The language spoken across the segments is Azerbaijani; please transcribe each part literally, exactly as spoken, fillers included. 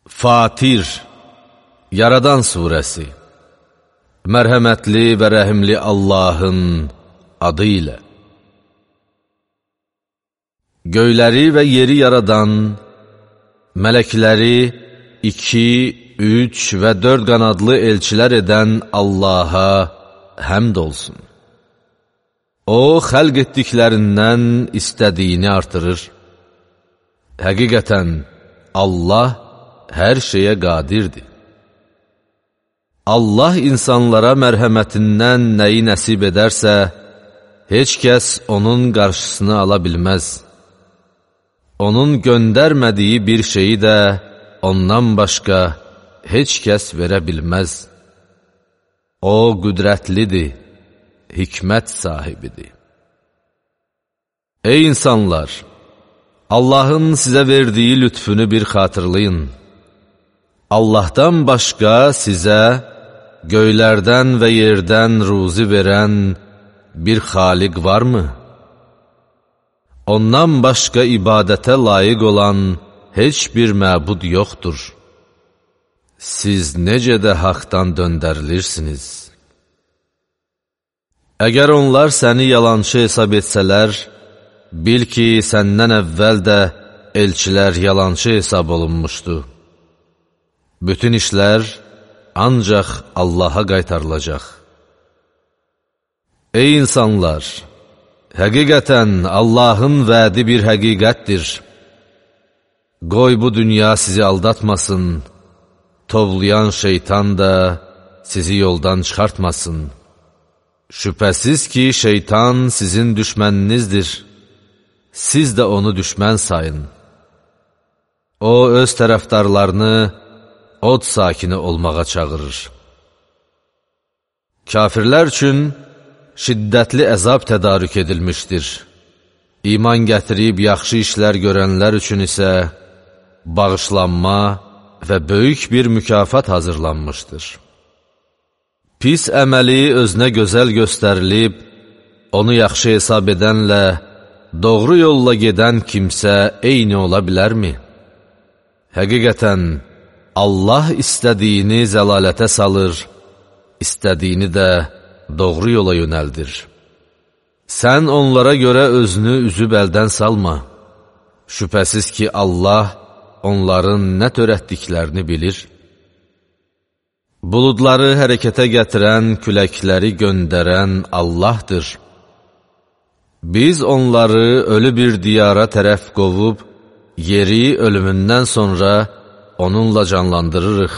Fatir, Yaradan surəsi. Mərhəmətli və rəhimli Allahın adı ilə. Göyləri və yeri yaradan, mələkləri iki, üç və dörd qanadlı elçilər edən Allaha həmd olsun. O, xəlq etdiklərindən istədiyini artırır. Həqiqətən, Allah hər şeyə qadirdir. Allah insanlara mərhəmətindən nəyi nəsib edərsə, heç kəs onun qarşısını ala bilməz. Onun göndərmədiyi bir şeyi də ondan başqa heç kəs verə bilməz. O, qüdrətlidir, hikmət sahibidir. Ey insanlar! Allahın sizə verdiyi lütfünü bir xatırlayın. Allahdan başqa sizə göylərdən və yerdən ruzi verən bir xaliq varmı? Ondan başqa ibadətə layiq olan heç bir məbud yoxdur. Siz necə də haqdan döndərilirsiniz? Əgər onlar səni yalançı hesab etsələr, bil ki, səndən əvvəl də elçilər yalançı hesab olunmuşdu. Bütün işlər ancaq Allaha qaytarılacaq. Ey insanlar! Həqiqətən Allahın vədi bir həqiqətdir. Qoy bu dünya sizi aldatmasın, tovlayan şeytan da sizi yoldan çıxartmasın. Şübhəsiz ki, şeytan sizin düşməninizdir. Siz də onu düşmən sayın. O, öz tərəfdarlarını od sakini olmağa çağırır. Kafirlər üçün şiddətli əzab tədarük edilmişdir. İman gətirib yaxşı işlər görənlər üçün isə bağışlanma və böyük bir mükafat hazırlanmışdır. Pis əməli özünə gözəl göstərilib, onu yaxşı hesab edənlə doğru yolla gedən kimsə eyni ola bilərmi? Həqiqətən, Allah istədiyini zəlalətə salır, istədiyini də doğru yola yönəldir. Sən onlara görə özünü üzüb əldən salma. Şübhəsiz ki, Allah onların nə törətdiklərini bilir. Buludları hərəkətə gətirən, küləkləri göndərən Allahdır. Biz onları ölü bir diyara tərəf qovub, yeri ölümündən sonra onunla canlandırırıq.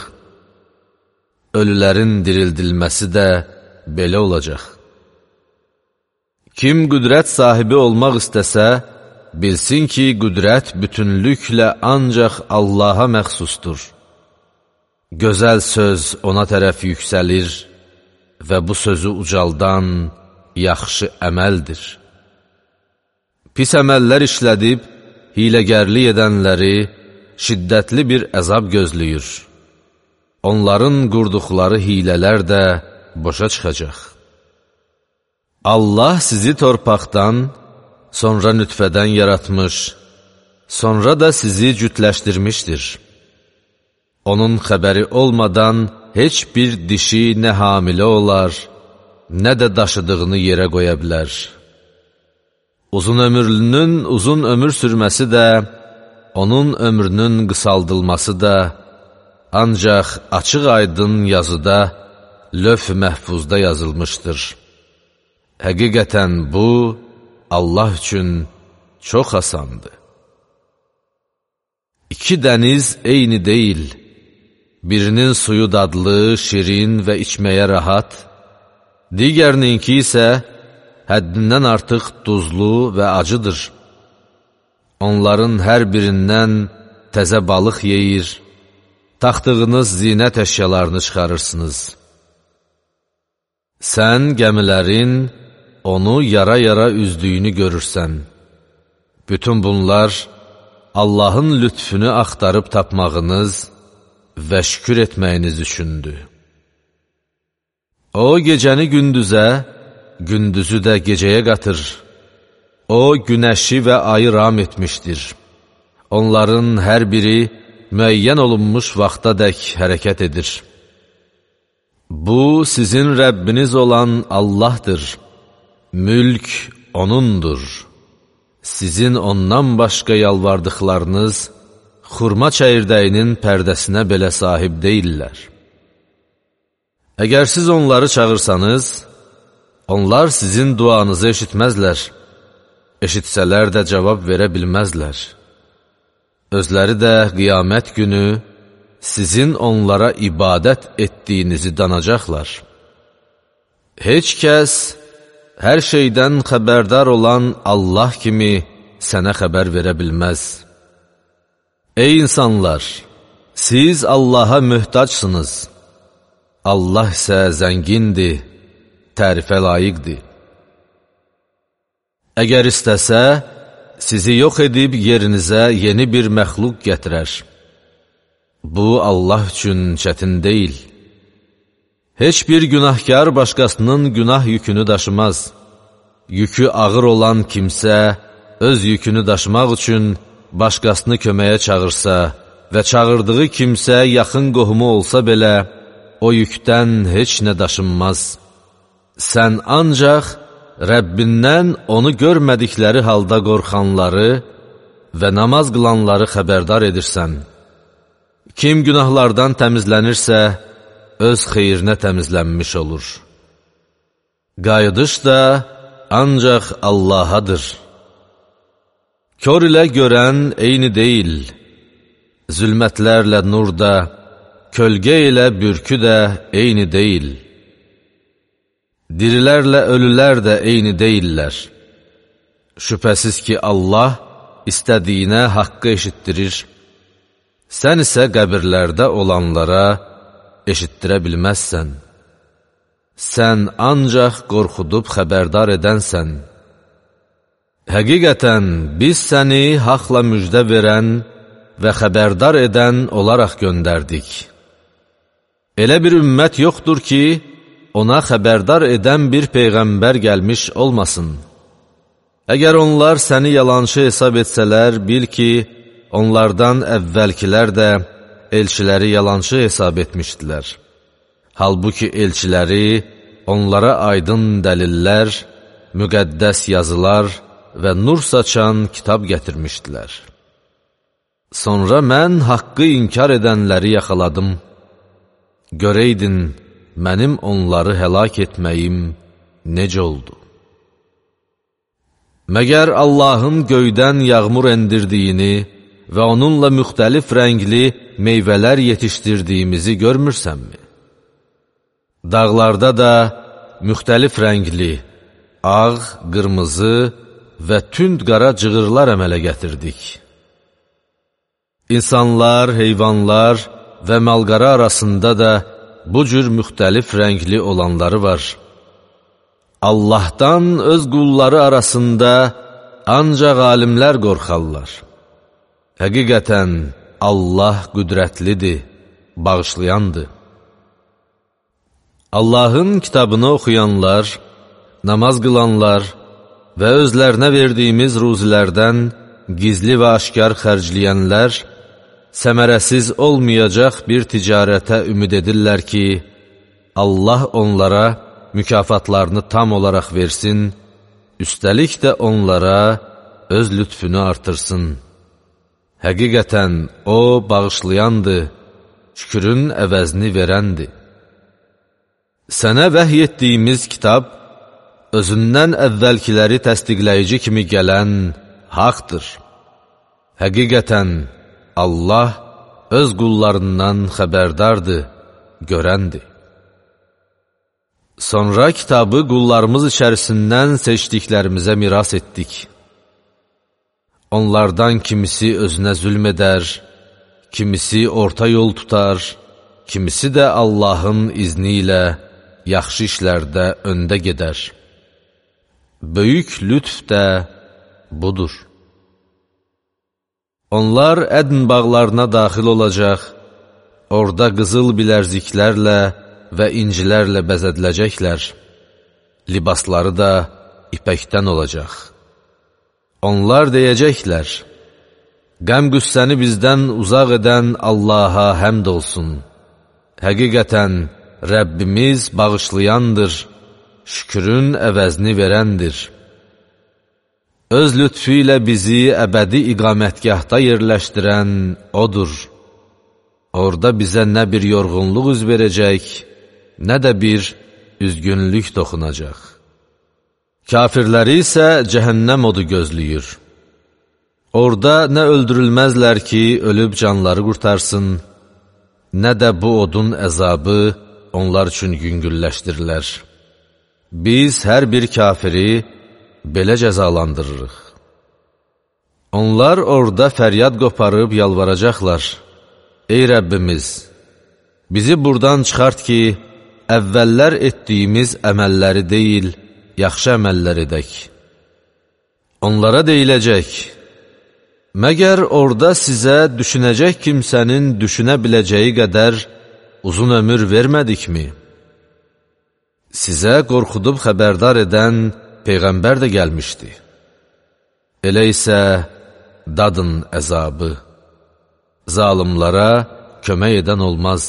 Ölülərin dirildilməsi də belə olacaq. Kim qüdrət sahibi olmaq istəsə, bilsin ki, qüdrət bütünlüklə ancaq Allaha məxsusdur. Gözəl söz ona tərəf yüksəlir və bu sözü ucaldan yaxşı əməldir. Pis əməllər işlədib, hiləgərlik edənləri şiddətli bir əzab gözləyir. Onların qurduqları hilələr də boşa çıxacaq. Allah sizi torpaqdan, sonra nütfədən yaratmış, sonra da sizi cütləşdirmişdir. Onun xəbəri olmadan heç bir dişi nə hamilə olar, nə də daşıdığını yerə qoya bilər. Uzun ömürlünün uzun ömür sürməsi də, onun ömrünün qısaldılması da ancaq açıq-aydın yazıda, lövh-i məhfuzda yazılmışdır. Həqiqətən bu, Allah üçün çox asandır. İki dəniz eyni deyil. Birinin suyu dadlı, şirin və içməyə rahat, digərininki isə həddindən artıq duzlu və acıdır. Onların hər birindən təzə balıq yeyir, taxtığınız zinət əşyalarını çıxarırsınız. Sən gəmilərin onu yara-yara üzdüyünü görürsən. Bütün bunlar Allahın lütfünü axtarıb tapmağınız və şükür etməyiniz üçündür. O, gecəni gündüzə, gündüzü də gecəyə qatır. O, günəşi və ayı ram etmişdir. Onların hər biri müəyyən olunmuş vaxtadək hərəkət edir. Bu, sizin Rəbbiniz olan Allahdır. Mülk O'nundur. Sizin ondan başqa yalvardıqlarınız, xurma çəyirdəyinin pərdəsinə belə sahib deyillər. Əgər siz onları çağırsanız, onlar sizin duanızı eşitməzlər. Eşitsələr də cavab verə bilməzlər. Özləri də qiyamət günü sizin onlara ibadət etdiyinizi danacaqlar. Heç kəs hər şeydən xəbərdar olan Allah kimi sənə xəbər verə bilməz. Ey insanlar! Siz Allaha möhtacsınız. Allah isə zəngindir, tərifə layiqdir. Əgər istəsə, sizi yox edib yerinizə yeni bir məxluq gətirər. Bu, Allah üçün çətin deyil. Heç bir günahkar başqasının günah yükünü daşımaz. Yükü ağır olan kimsə, öz yükünü daşımaq üçün başqasını köməyə çağırsa və çağırdığı kimsə yaxın qohumu olsa belə, o yükdən heç nə daşınmaz. Sən ancaq Rəbbindən onu görmədikləri halda qorxanları və namaz qılanları xəbərdar edirsən. Kim günahlardan təmizlənirsə, öz xeyrinə təmizlənmiş olur. Qayıdış da ancaq Allahadır. Kör ilə görən eyni deyil. Zülmətlərlə nur da, kölgə ilə bürkü də eyni deyil. Dirilərlə ölülər də eyni deyillər. Şübhəsiz ki, Allah istədiyinə haqqı eşitdirir. Sən isə qəbirlərdə olanlara eşitdirə bilməzsən. Sən ancaq qorxudub xəbərdar edənsən. Həqiqətən, biz səni haqla müjdə verən və xəbərdar edən olaraq göndərdik. Elə bir ümmət yoxdur ki, ona xəbərdar edən bir peyğəmbər gəlmiş olmasın. Əgər onlar səni yalançı hesab etsələr, bil ki, onlardan əvvəlkilər də elçiləri yalançı hesab etmişdilər. Halbuki elçiləri onlara aydın dəlillər, müqəddəs yazılar və nur saçan kitab gətirmişdilər. Sonra mən haqqı inkar edənləri yaxaladım. Görəydin, mənim onları həlak etməyim necə oldu? Məgər Allahın göydən yağmur endirdiyini və onunla müxtəlif rəngli meyvələr yetişdirdiyimizi görmürsənmi? Dağlarda da müxtəlif rəngli, ağ, qırmızı və tünd qara cığırlar əmələ gətirdik. İnsanlar, heyvanlar və malqara arasında da bu cür müxtəlif rəngli olanları var. Allahdan öz qulları arasında ancaq alimlər qorxarlar. Həqiqətən, Allah qüdrətlidir, bağışlayandır. Allahın kitabını oxuyanlar, namaz qılanlar və özlərinə verdiyimiz ruzilərdən gizli və aşkar xərcləyənlər, səmərəsiz olmayacaq bir ticarətə ümid edirlər ki, Allah onlara mükafatlarını tam olaraq versin, üstəlik də onlara öz lütfünü artırsın. Həqiqətən, O bağışlayandır, şükrün əvəzini verəndir. Sənə vəhy etdiyimiz kitab, özündən əvvəlkiləri təsdiqləyici kimi gələn haqdır. Həqiqətən, Allah öz qullarından xəbərdardır, görəndir. Sonra kitabı qullarımız içərisindən seçdiklərimizə miras etdik. Onlardan kimisi özünə zülm edər, kimisi orta yol tutar, kimisi də Allahın izni ilə yaxşı işlərdə öndə gedər. Böyük lütf də budur. Onlar ədn bağlarına daxil olacaq, orada qızıl bilərziklərlə və incilərlə bəzədiləcəklər. Libasları da ipəkdən olacaq. Onlar deyəcəklər, Qəm-qüssəni bizdən uzaq edən Allaha həmd olsun. Həqiqətən, Rəbbimiz bağışlayandır, şükrün əvəzini verəndir. Öz lütfü ilə bizi əbədi iqamətgahda yerləşdirən O'dur. Orada bizə nə bir yorğunluq üz verəcək, nə də bir üzgünlük toxunacaq. Kafirləri isə cəhənnəm odu gözləyir. Orada nə öldürülməzlər ki, ölüb canları qurtarsın, nə də bu odun əzabı onlar üçün yüngülləşdirilər. Biz hər bir kafiri belə cəzalandırırıq. Onlar orada fəryad qoparıb yalvaracaqlar. Ey Rəbbimiz, bizi buradan çıxart ki, əvvəllər etdiyimiz əməlləri deyil, yaxşı əməllər edək. Onlara deyiləcək, məgər orada sizə düşünəcək kimsənin düşünə biləcəyi qədər uzun ömür vermədikmi? Sizə qorxudub xəbərdar edən Peyğəmbər də gəlmişdi. Elə isə dadın əzabı, zalimlara kömək edən olmaz.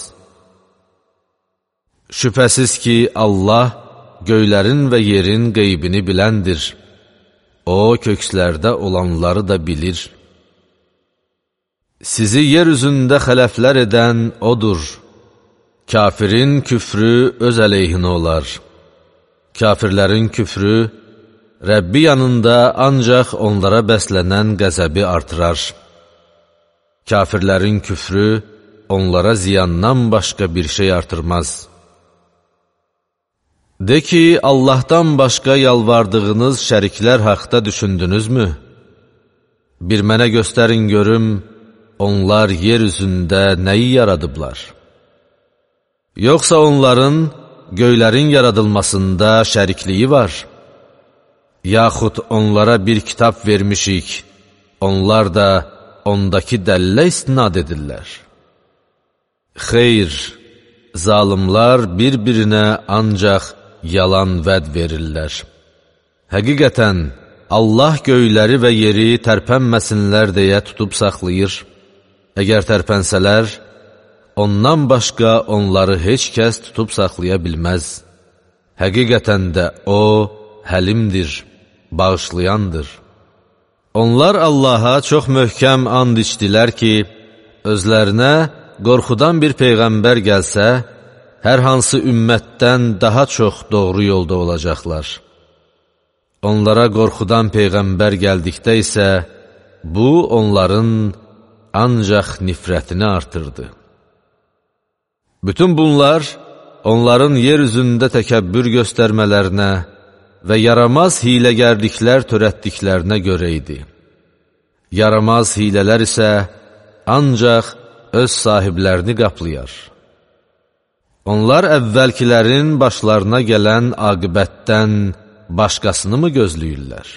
Şübhəsiz ki, Allah göylərin və yerin qeybini biləndir. O, kökslərdə olanları da bilir. Sizi yer üzündə xələflər edən O'dur. Kafirin küfrü öz əleyhinə olar. Kafirlərin küfrü, Rəbbi yanında ancaq onlara bəslənən qəzəbi artırar. Kafirlərin küfrü, onlara ziyandan başqa bir şey artırmaz. De ki, Allahdan başqa yalvardığınız şəriklər haqda düşündünüzmü? Bir mənə göstərin görüm, onlar yer üzündə nəyi yaradıblar? Yoxsa onların göylərin yaradılmasında şərikliyi var? Yaxud onlara bir kitab vermişik, onlar da ondakı dəllə istinad edirlər. Xeyr, zalimlar bir-birinə ancaq yalan vəd verirlər. Həqiqətən, Allah göyləri və yeri tərpənməsinlər deyə tutub saxlayır. Əgər tərpənsələr, ondan başqa onları heç kəs tutub saxlaya bilməz. Həqiqətən də O, həlimdir, bağışlayandır. Onlar Allaha çox möhkəm and içdilər ki, özlərinə qorxudan bir Peyğəmbər gəlsə, hər hansı ümmətdən daha çox doğru yolda olacaqlar. Onlara qorxudan Peyğəmbər gəldikdə isə, bu onların ancaq nifrətini artırdı. Bütün bunlar, onların yer üzündə təkəbbür göstərmələrinə və yaramaz hiləgərliklər törətdiklərinə görə idi. Yaramaz hilələr isə ancaq öz sahiblərini qaplayar. Onlar əvvəlkilərin başlarına gələn aqibətdən başqasını mı gözləyirlər?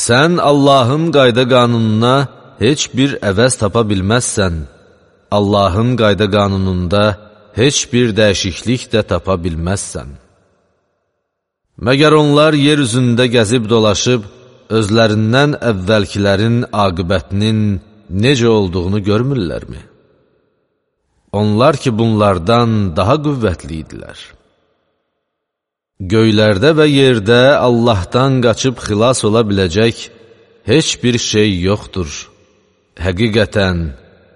Sən Allahın qayda qanununa heç bir əvəz tapa bilməzsən, Allahın qayda qanununda heç bir dəyişiklik də tapa bilməzsən. Məgər onlar yer üzündə gəzib dolaşıb, özlərindən əvvəlkilərin aqibətinin necə olduğunu görmürlərmi? Onlar ki, bunlardan daha qüvvətli idilər. Göylərdə və yerdə Allahdan qaçıb xilas ola biləcək heç bir şey yoxdur. Həqiqətən,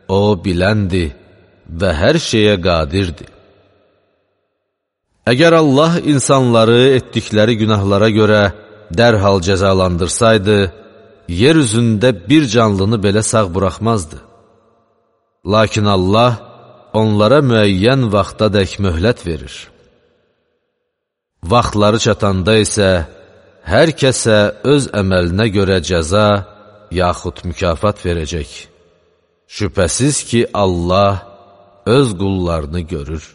O biləndir və hər şeyə qadirdir. Əgər Allah insanları etdikləri günahlara görə dərhal cəzalandırsaydı, yer üzündə bir canlını belə sağ buraxmazdı. Lakin Allah onlara müəyyən vaxtadək möhlət verir. Vaxtları çatanda isə hər kəsə öz əməlinə görə cəza yaxud mükafat verəcək. Şübhəsiz ki, Allah öz qullarını görür.